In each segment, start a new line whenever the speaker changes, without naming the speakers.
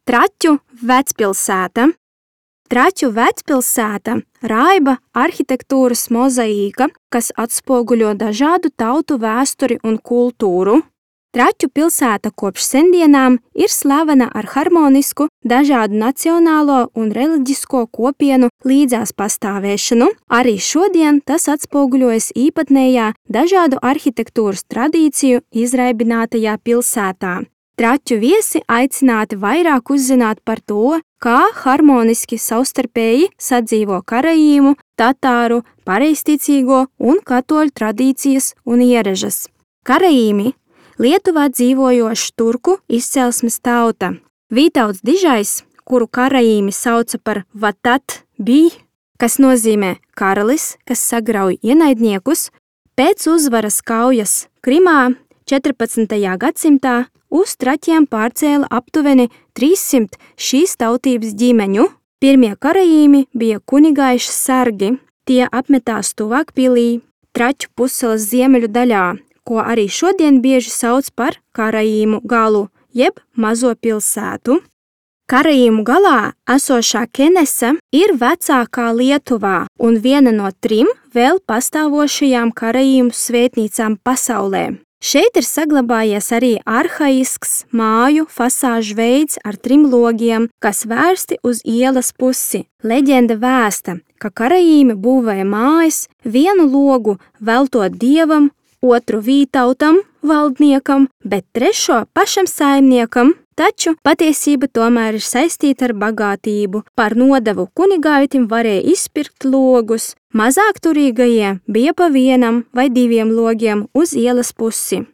Traķu vecpilsēta. Traķu vecpilsēta raiba arhitektūras mozaīka, kas atspoguļo dažādu tautu vēsturi un kultūru. Traķu pilsēta kopš sendienām ir slavena ar harmonisku, dažādu nacionālo un reliģisko kopienu līdzās pastāvēšanu. Arī šodien tas atspoguļojas īpatnējā dažādu arhitektūras tradīciju izraibinātajā pilsētā. Traķu viesi aicināti vairāk uzzināt par to, kā harmoniski savstarpēji sadzīvo karaīmu, tatāru, pareizticīgo un katoļu tradīcijas un ieražas. Karaīmi – Lietuvā dzīvojoša turku izcelsmes tauta. Vītauts Dižais, kuru karaīmi sauca par Vatat bij, kas nozīmē karalis, kas sagrauj ienaidniekus, pēc uzvaras kaujas Krimā 14. gadsimtā uz Traķiem pārcēla aptuveni 300 šīs tautības ģimeņu. Pirmie karaīmi bija kunigaiši sargi. Tie apmetās tuvāk pilī, Traķu pussalas ziemeļu daļā, ko arī šodien bieži sauc par Karaīmu galu, jeb mazo pilsētu. Karaīmu galā esošā Kenesa ir vecākā Lietuvā un viena no 3 vēl pastāvošajām Karaīmu svētnīcām pasaulē. Šeit ir saglabājies arī arhaisks māju fasāžu veids ar 3 logiem, kas vērsti uz ielas pusi. Leģenda vēsta, ka Karaīmi būvēja mājas, vienu logu veltot dievam, otru Vītautam, valdniekam, bet 3 pašam saimniekam, taču patiesība tomēr ir saistīta ar bagātību. Par nodevu kunigaitim varēja izpirkt logus, mazāk turīgajiem bija pa 1 vai 2 logiem uz ielas pusi.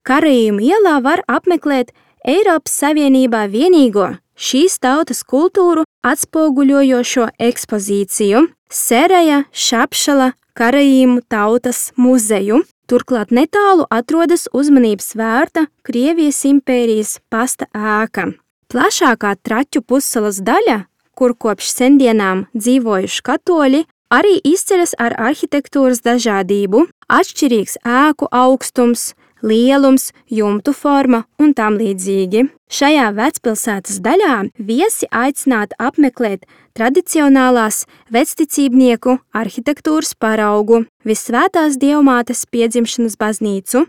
Karaīmu ielā var apmeklēt Eiropas Savienībā vienīgo šīs tautas kultūru atspoguļojošo ekspozīciju Seraja Šapšala Karaīmu tautas muzeju. Turklāt netālu atrodas uzmanības vērta Krievijas impērijas pasta ēka. Plašākā Traķu pussalas daļa, kur kopš sendienām dzīvojuši katoļi, arī izceļas ar arhitektūras dažādību, atšķirīgs ēku augstums, lielums, jumtu forma un tam līdzīgi. Šajā vecpilsētas daļā viesi aicināti apmeklēt tradicionālās vecticībnieku arhitektūras paraugu, Visvētās Dievmātes piedzimšanas baznīcu.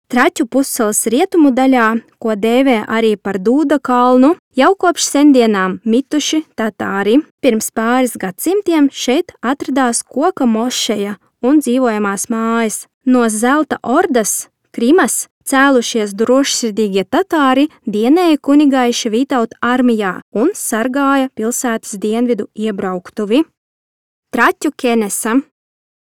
Traķu pussalas rietumu daļā, ko dēvē arī par Dūda kalnu, jau kopš sendienām mituši tatāri. Pirms pāris gadsimtiem šeit atradās koka mošeja un dzīvojamās mājas. No Zelta ordas, Krimas, cēlušies drošsirdīgie tatāri dienēja kunigaiša Vītauta armijā un sargāja pilsētas dienvidu iebrauktuvi. Traķu Kenesa.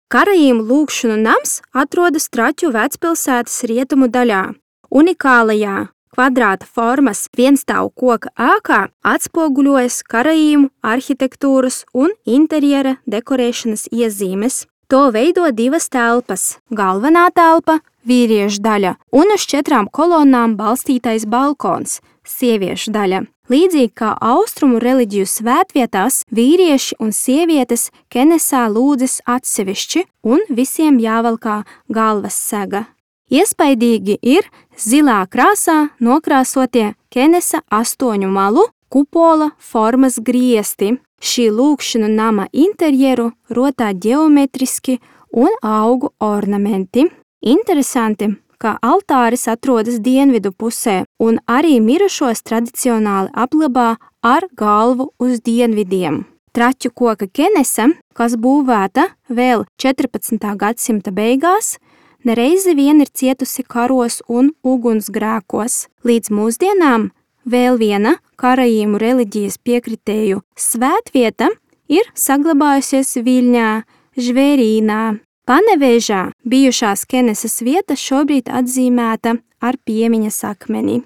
Karaīmu lūgšanu nams atrodas Traķu vecpilsētas rietumu daļā. Unikālajā kvadrāta formas vienstāvu koka ēkā atspoguļojas Karaīmu arhitektūras un interjera dekorēšanas iezīmes. To veido 2 telpas – galvenā telpa, vīriešu daļa, un uz 4 kolonnām balstītais balkons – sieviešu daļa. Līdzīgi kā austrumu reliģiju svētvietās, vīrieši un sievietes Kenesā lūdzas atsevišķi un visiem jāvalkā galvas sega. Iespaidīgi ir zilā krāsā nokrāsotie Kenesa 8 malu kupola formas griesti. Šī lūgšanu nama interjeru rotā ģeometriski un augu ornamenti. Interesanti, ka altāris atrodas dienvidu pusē un arī mirušos tradicionāli apglabā ar galvu uz dienvidiem. Traķu koka Kenesa, kas būvēta vēl 14. gadsimta beigās, nereizi vien ir cietusi karos un ugunsgrēkos. Līdz mūsdienām vēl viena Karaīmu reliģijas piekritēju svētvieta ir saglabājusies Viļņā, Žvērīnā. Panevežā bijušās Kenesas vieta šobrīd atzīmēta ar piemiņas akmeni.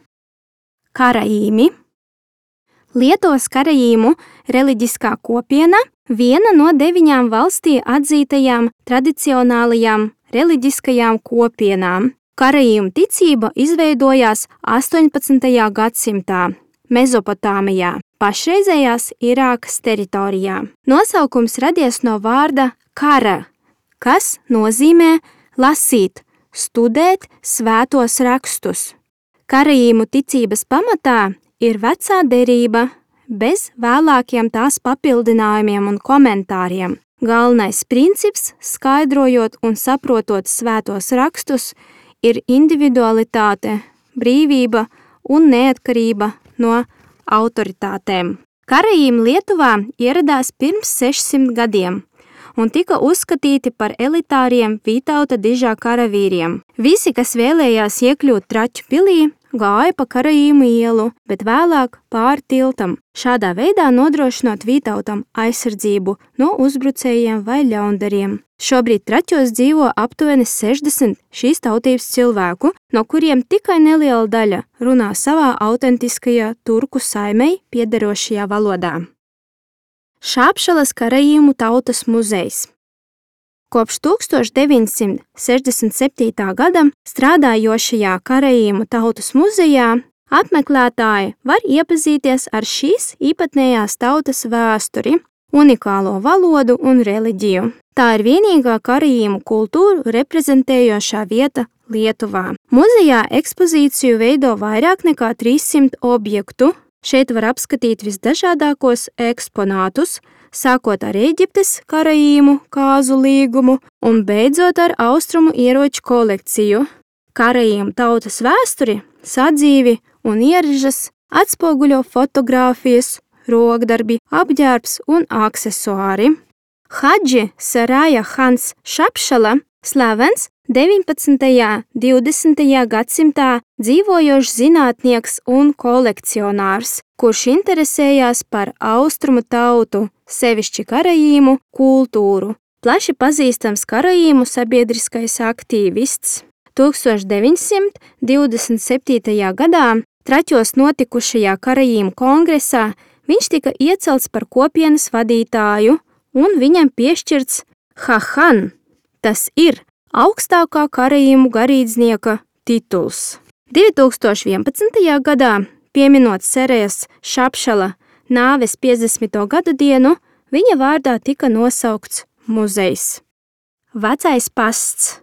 Karaīmi. Lietuvas karaīmu reliģiskā kopiena viena no 9 valstī atzītajām tradicionālajām reliģiskajām kopienām. Karaīmu ticība izveidojās 18. gadsimtā Mezopotāmijā, pašreizējās Irākas teritorijā. Nosaukums radies no vārda kara, kas nozīmē lasīt, studēt svētos rakstus. Karaīmu ticības pamatā ir vecā derība, bez vēlākiem tās papildinājumiem un komentāriem. Galvenais princips, skaidrojot un saprotot svētos rakstus, ir individualitāte, brīvība un neatkarība no autoritātēm. Karaīmi Lietuvā ieradās pirms 600 gadiem un tika uzskatīti par elitāriem Vītauta dižā karavīriem. Visi, kas vēlējās iekļūt Traķu pilī, gāja pa Karaīmu ielu, bet vēlāk pāri tiltam, šādā veidā nodrošinot Vītautam aizsardzību no uzbrucējiem vai ļaundariem. Šobrīd Traķos dzīvo aptuveni 60 šīs tautības cilvēku, no kuriem tikai neliela daļa runā savā autentiskajā turku saimei piederošajā valodā. Šāpšalas Karaīmu tautas muzejs. Kopš 1967. gada strādājošajā Karaīmu tautas muzejā apmeklētāji var iepazīties ar šīs īpatnējās tautas vēsturi, unikālo valodu un reliģiju. Tā ir vienīgā Karaīmu kultūru reprezentējošā vieta Lietuvā. Muzejā ekspozīciju veido vairāk nekā 300 objektu. Šeit var apskatīt visdažādākos eksponātus, sākot ar Ēģiptes Karaīmu kāzu līgumu un beidzot ar austrumu ieroču kolekciju. Karaīmu tautas vēsturi, sadzīvi un ieražas atspoguļo fotogrāfijas, rokdarbi, apģērbs un aksesuāri. Hadži Saraja Hans Šāpšala, slavens 19. un 20. gadsimtā dzīvojošs zinātnieks un kolekcionārs, kurš interesējās par austrumu tautu, sevišķi Karaīmu kultūru. Plaši pazīstams Karaīmu sabiedriskais aktīvists. 1927. gadā Traķos notikušajā Karaīmu kongresā viņš tika iecelts par kopienas vadītāju un viņam piešķirts Hahan, tas ir augstākā Karaīmu garīdznieka tituls. 2011. gadā, pieminot Sarajas Šāpšala nāves 50. gadu dienu, viņa vārdā tika nosaukts muzejs. Vecais pasts.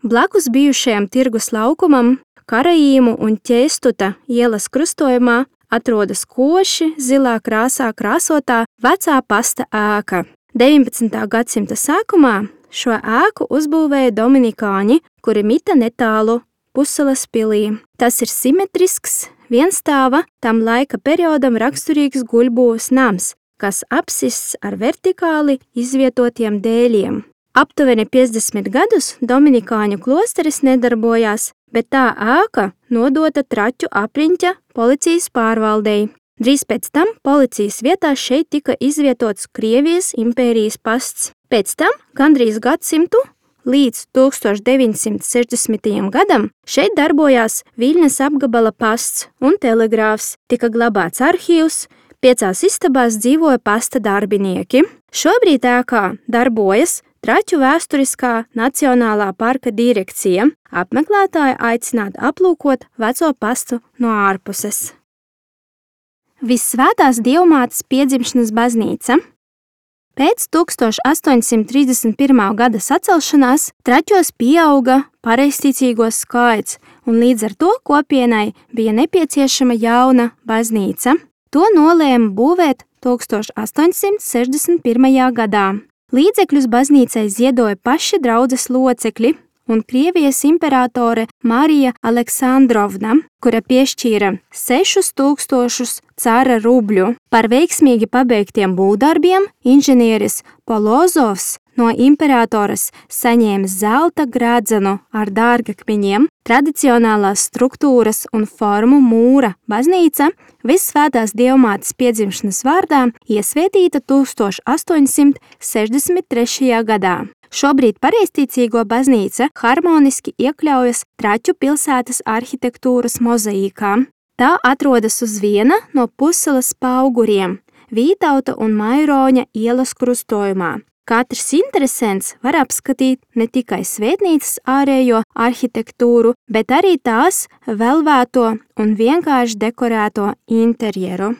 Blakus bijušajam tirgus laukumam, Karaīmu un Ķēstuta ielas krustojumā atrodas koši zilā krāsā krāsotā vecā pasta ēka. 19. gadsimta sākumā šo ēku uzbūvēja dominikāņi, kuri mita netālu Pusalas pilī. Tas ir simetrisks, vienstāva, tam laika periodam raksturīgs guļbūves nams, kas apsists ar vertikāli izvietotiem dēļiem. Aptuveni 50 gadus dominikāņu klosteris nedarbojās, bet tā ēka nodota Traķu apriņķa policijas pārvaldei. Drīz pēc tam policijas vietā šeit tika izvietots Krievijas impērijas pasts. Pēc tam, gandrīz gadsimtu, līdz 1960. gadam, šeit darbojās Viļņas apgabala pasts un telegrāfs, tika glabāts arhīvs, 5 istabās dzīvoja pasta darbinieki. Šobrīd ēkā darbojas Traķu vēsturiskā Nacionālā parka direkcija. Apmeklētāji aicināti aplūkot veco pastu no ārpuses. Vissvētās Dievmātes piedzimšanas baznīca. Pēc 1831. gada sacelšanās Traķos pieauga pareizticīgo skaits, un līdz ar to kopienai bija nepieciešama jauna baznīca. To nolēma būvēt 1861. gadā. Līdzekļus baznīcai ziedoja paši draudzes locekļi un Krievijas imperatore Marija Aleksandrovna, kura piešķīra 6000 cara rubļu. Par veiksmīgi pabeigtiem būvdarbiem inženieris Polozovs no imperatoras saņēma zelta gradzenu ar dārgakmeņiem, tradicionālās struktūras un formu mūra baznīca Vissvētās Dievmātes piedzimšanas vārdā iesvētīta 1863. gadā. Šobrīd pareizticīgo baznīca harmoniski iekļaujas Traķu pilsētas arhitektūras mozaīkā. Tā atrodas uz viena no Pusalas pauguriem Vītauta un Mairoņa ielas krustojumā. Katrs interesents var apskatīt ne tikai svētnīcas ārējo arhitektūru, bet arī tās velvēto un vienkārši dekorēto interjeru.